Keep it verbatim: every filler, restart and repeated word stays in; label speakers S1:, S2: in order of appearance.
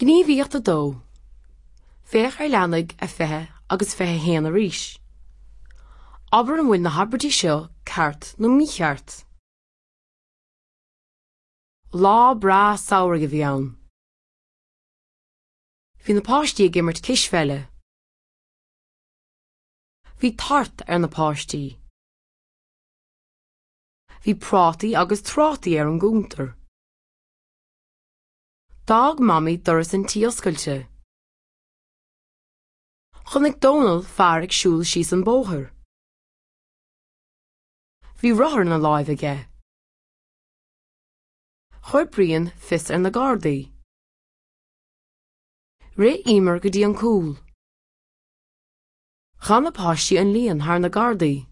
S1: Gníomhaíocht a dó. Féach ar leathanaigh a fiche agus fiche haon arís. Abair an bhfuil na habairtí seo ceart nó mícheart. Lá breá samhraidh a bhí ann. Bhí na páistí ag imirt cispheile. Bhí tart ar na páistí. Bhí prátaí agus trátaí ar an gcuntar. D'fhág Mamaí doras an tí oscailte. Chonaic Dónal fear ag siúl síos an bóthar. Bhí rothar ina láimh aige. Chuir Brian fios ar na Gardaí. Rith Emer go dtí an cúl. Chan na páistí an líon thar na Gardaí.